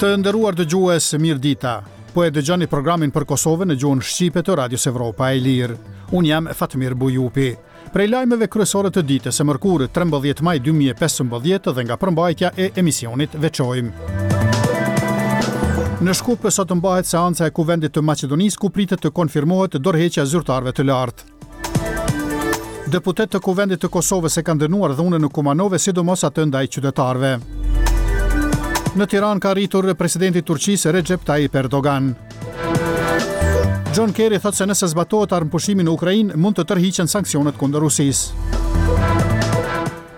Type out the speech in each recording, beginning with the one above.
Të nderuar dëgjues, mirëdita. Po e dëgjoni programin për Kosovën në gjuhën shqipe të Radios Evropa e Lirë. Unë jam Fatmir Bujupi. Prej lajmeve kryesore të ditës së mërkurë 13 maj 2015 dhe nga përmbajtja e emisionit veçojmë. Në Shkup sot mbahet seanca e Kuvendit të Maqedonisë ku pritet të konfirmohet dorëheqja e zyrtarëve të lartë. Deputetë të Kuvendit të Kosovës e kanë dënuar dhunën në Kumanovë, sidomos atë ndaj qytetarëve. Në Tiranë ka arritur presidenti i Turqisë Recep Tayyip Erdogan. John Kerry thotë se nëse zbatohet armëpushimi në Ukrainë, mund të tërhiqen sanksionet kundër Rusisë.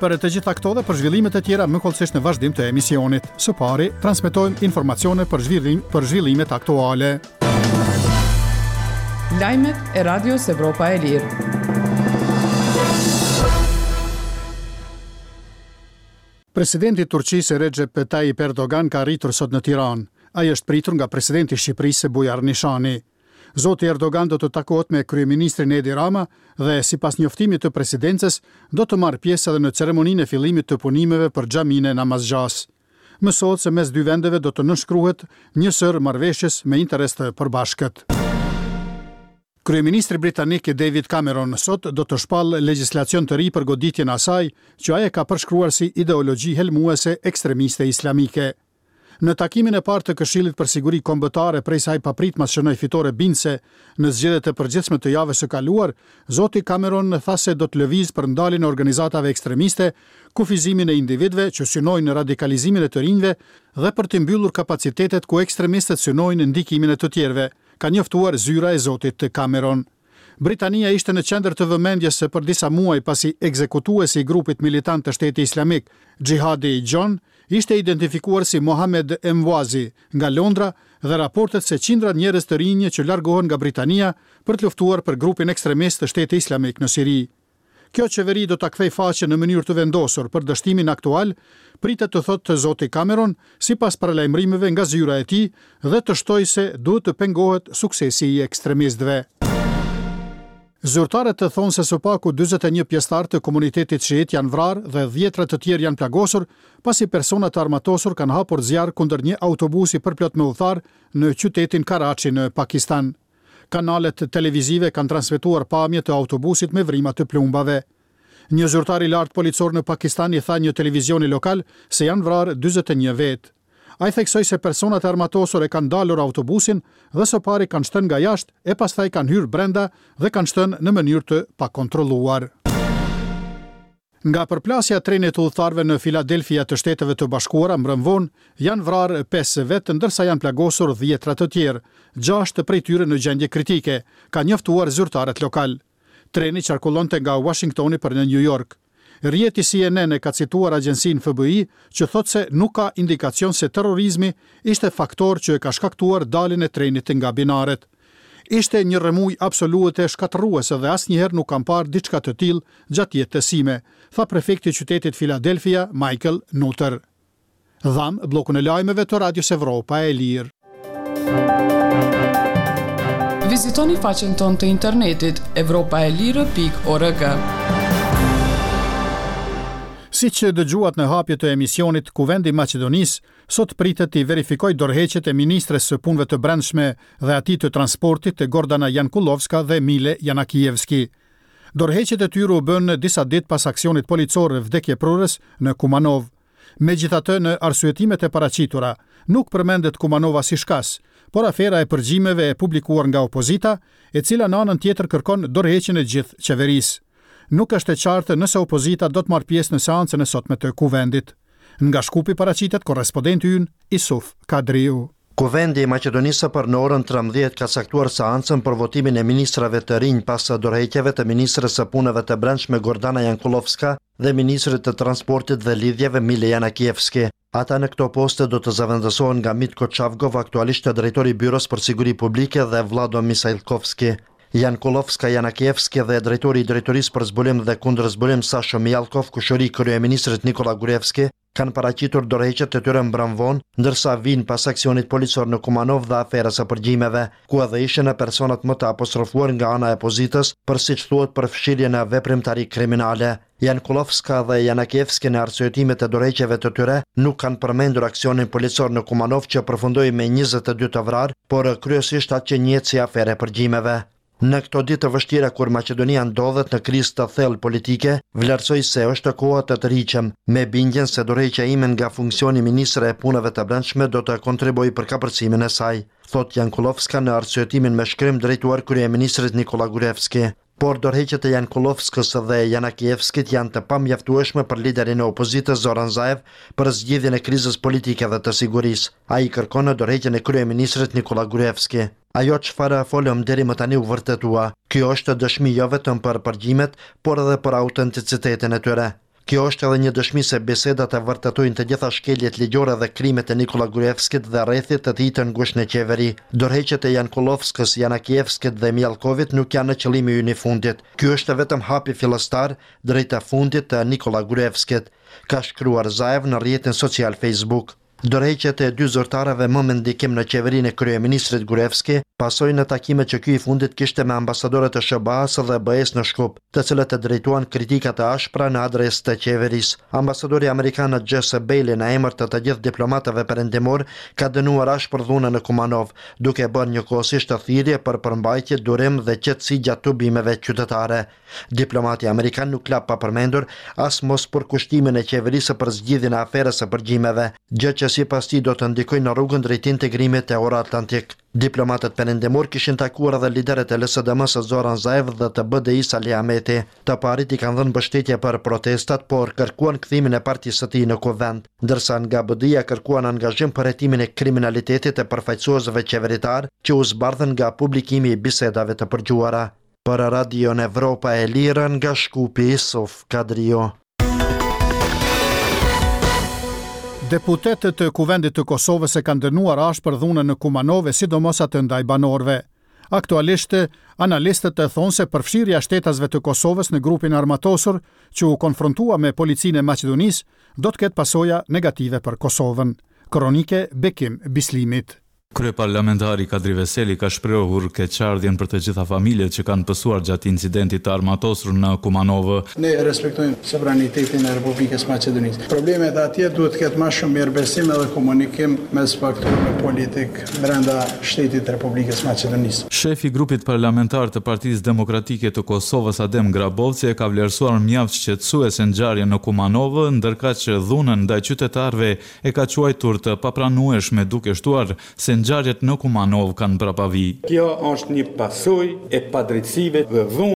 Për të gjitha këto dhe për zhvillimet e tjera më hollësisht në vazhdim të emisionit. Së pari, transmetojmë informacione për zhvillim për zhvillimet aktuale. Lajmet e Radios Evropa e Lirë. Presidenti i Turqisë Recep Tayyip Erdogan ka arritur sot në Tiranë. Ai është pritur nga presidenti i Shqipërisë Bujar Nishani. Zoti Erdogan do të takohet me kryeministrin Edi Rama dhe, sipas njoftimit të presidencës, do të marrë pjesë edhe në ceremoninë e fillimit të punimeve për xhaminë e Namazgjasë. Mësohet se mes dy vendeve do të nënshkruhet një sërë marrëveshjes me interes të përbashkët. Kryeministri britanik David Cameron sot do të shpallë legjislacion të ri për goditjen e asaj që ai e ka përshkruar si ideologji helmuese ekstremiste islamike. Në takimin e parë të Këshillit për Siguri Kombëtare prej se ai papritmas shënoi fitore bindëse në zgjedhjet e përgjithshme të javës së kaluar, zoti Cameron tha se do të lëvizë për ndaljen e organizatave ekstremiste, kufizimin e individëve që synojnë radikalizimin e të rinjve dhe për t'i mbyllur kapacitetet ku ekstremistët synojnë ndikimin e të tjerëve, ka njoftuar zyra e zotit Cameron. Britania ishte në qendër të vëmendjes për disa muaj pasi ekzekutuesi i grupit militant të Shteti Islamik, Xhihadi John, ishte identifikuar si Mohammed Emwazi nga Londra dhe raportet se qindra njerëz të rinj që largohen nga Britania për të luftuar për grupin ekstremist të Shteti Islamik në Siri. Kjo qeveri do ta kthejë faqen në mënyrë të vendosur për dështimin aktual, pritet të thotë zoti Cameron, sipas paralajmërimeve nga zyra e tij, dhe të shtojë se duhet të pengohet suksesi i ekstremistëve. Zyrtarët thonë se së paku 41 pjesëtarë të komunitetit shiit janë vrarë dhe dhjetra të tjerë janë plagosur, pasi persona të armatosur kanë hapur zjarr kundër një autobusi përplot me udhëtarë në qytetin Karachi në Pakistan. Kanalet televizive kanë transmetuar pamje të autobusit me vrima të plumbave. Një zyrtar i lartë policor në Pakistan i tha një televizioni lokal se janë vrarë 41 vetë. Ai theksoi se personat e armatosur e kanë ndalur autobusin dhe së pari kanë shtënë nga jashtë e pastaj kanë hyrë brenda dhe kanë shtënë në mënyrë të pakontrolluar. Nga përplasja e trenit të udhëtarëve në Filadelfia të Shteteve të Bashkuara mbrëmë vonë, janë vrarë pesë vetë ndërsa janë plagosur dhjetra të tjerë, gjashtë prej tyre në gjendje kritike, kanë njoftuar zyrtarët lokalë. Treni qarkullonte nga Uashingtoni për në Nju Jork. Rrjeti CNN e ka cituar agjencinë FBI që thotë se nuk ka indikacion se terrorizmi ishte faktor që e ka shkaktuar daljen e trenit nga binaret. Ishte një rrëmujë absolute shkatërruese dhe asnjëherë nuk kam parë diçka të tillë gjatë jetës sime, tha prefekti i qytetit Philadelphia, Michael Nutter. Dhamë bllokun e lajmeve të Radios Evropa e Lirë. Vizitoni faqen tonë të internetit evropaelire.org. Siç dëgjuat në hapje të emisionit, Kuvendi i Maqedonisë Sot pritet t'i verifikojë dorëheqjet e ministres së Punëve të Brendshme dhe atij të Transportit, Gordana Jankullovska dhe Mile Janakievski. Dorëheqjet e tyre u bënë disa ditë pas aksionit policor vdekjeprurës në Kumanovë. Megjithatë, në arsyetimet e paraqitura, nuk përmendet Kumanova si shkas, por afera e përgjimeve e publikuar nga opozita, e cila në anën tjetër kërkon dorëheqjen e gjithë qeverisë. Nuk është e qartë nëse opozita do të marrë pjesë në seancën e sotme të Kuvendit. Nga Shkupi paraqitet korrespondenti ynë, Isuf Kadriu. Kuvendi i Maqedonisë për në orën 13 ka caktuar seancën për votimin e ministrave të rinj pas dorëheqjeve të ministres së Punëve të Brendshme Gordana Jankullovska dhe ministrit të Transportit dhe Lidhjeve Mile Janakievski. Ata në këto poste do të zëvendësohen nga Mitko Çavgov, aktualisht drejtori i Byrosë për Siguri Publike dhe Vllado Misajlkovski. Jankullovska, Janakievski dhe drejtori i Drejtorisë për Zbulim dhe Kundërzbulim Sasho Mijallkov, kushëri i kryeministrit Nikolla Gruevski, kanë paraqitur dorëheqjet e tyre mbrëmë vonë, ndërsa vijnë pas aksionit policor në Kumanovë dhe aferës së përgjimeve, ku edhe ishin personat më të apostrofuar nga ana e opozitës për siç thuhet përfshirje në veprimtari kriminale. Jankullovska dhe Janakievski në arsyetimet e dorëheqjeve të tyre nuk kanë përmendur aksionin policor në Kumanovë që përfundoi me 22 të vrarë, por kryesisht atë që njihet si aferë e përgjimeve. Në këto ditë të vështira kur Maqedonia ndodhet në krizë të thellë politike, vlerësoj se është koha të tërhiqem, me bindjen se dorëheqja ime nga funksioni ministre e Punëve të Brendshme do të kontribuojë për kapërcimin e saj, thotë Jankullovska në arsyetimin me shkrim drejtuar kryeministrit Nikolla Gruevski. Por dorëheqjet e Jankullovskës dhe Janakievskit janë të pamjaftueshme për liderin e opozitës Zoran Zaev për zgjidhjen e krizës politike dhe të sigurisë. Ai kërkon dorëheqjen e kryeministrit Nikolla Gruevski. Ajo çfarë folëm deri më tani u vërtetua. Kjo është dëshmi jo vetëm për përgjimet, por edhe për autenticitetin e tyre. Kjo është edhe një dëshmi se bisedat e vërtetojnë të gjitha shkeljet ligjore dhe krimet e Nikolla Gruevskit dhe rrethit të tij të ngushtë në qeveri. Dorëheqjet e Jankullovskës, Janakievskit dhe Mijallkovit nuk janë qëllimi ynë i fundit. Ky është vetëm hapi fillestar drejt fundit të Nikolla Gruevskit, ka shkruar Zaev në rrjetin social Facebook. Dorëheqjet e dy zyrtarëve më me ndikim në qeverinë e kryeministrit Gruevski pasojnë në takimet që ky i fundit kishte me ambasadorët e SHBA-së dhe BE-së në Shkup, të cilët drejtuan kritika të ashpra në adresë të qeverisë. Ambasadori amerikan Jesse Bailey në emër të të gjithë diplomatëve perëndimorë ka dënuar ashpër dhunën në Kumanovë, duke bërë njëkohësisht thirrje për përmbajtje, durim dhe qetësi gjatë tubimeve qytetare. Diplomati amerikan nuk la pa përmendur as mospërkushtimin e qeverisë për zgjidhjen e aferës së përgjimeve, gjë që sipas tij do të ndikojë në rrugën drejt integrimit euroatlantik. Diplomatët perëndimorë kishin takuar edhe liderët e LSDM-së Zoran Zaev dhe të BDI-së Ali Ahmeti. Të parit i kanë dhënë mbështetje për protestat, por kërkuan kthimin e partisë së tij në Kuvend, ndërsa nga BDI-ja kërkuan angazhim për hetimin e kriminalitetit të përfaqësuesve qeveritarë që u zbardhën nga publikimi i bisedave të përgjuara. Për Radion Evropa e Lirë nga Shkupi, Isuf Kadriu. Deputetët e Kuvendit të Kosovës e kanë dënuar ashpër dhunën në Kumanovë e sidomos atë ndaj banorëve. Aktualisht, analistët thonë se përfshirja e shtetasve të Kosovës në grupin e armatosur që u konfrontua me policinë e Maqedonisë do të ketë pasoja negative për Kosovën. Kronikë e Bekim Bislimit. Kryeparlamentari Kadri Veseli ka shprehur keqardhjen për të gjitha familjet që kanë pësuar gjatë incidentit të armatosur në Kumanovë. Ne respektojmë sovranitetin e Republikës së Maqedonisë. Problemet atje duhet të ketë ma shumë mirëbesim edhe komunikim mes faktorëve politik brenda shtetit të Republikës së Maqedonisë. Shefi i grupit parlamentar të Partisë Demokratike të Kosovës, Adem Grabovci e ka vlerësuar mjaft shqetësuese ngjarjen në Kumanovë, ndërkaq dhunën ndaj qytetarëve e ka quajtur të papranueshme duke shtuar se ngjarjet në Kumanovë kanë prapavijë. Kjo është një pasojë e padrejtësive dhe dhunës.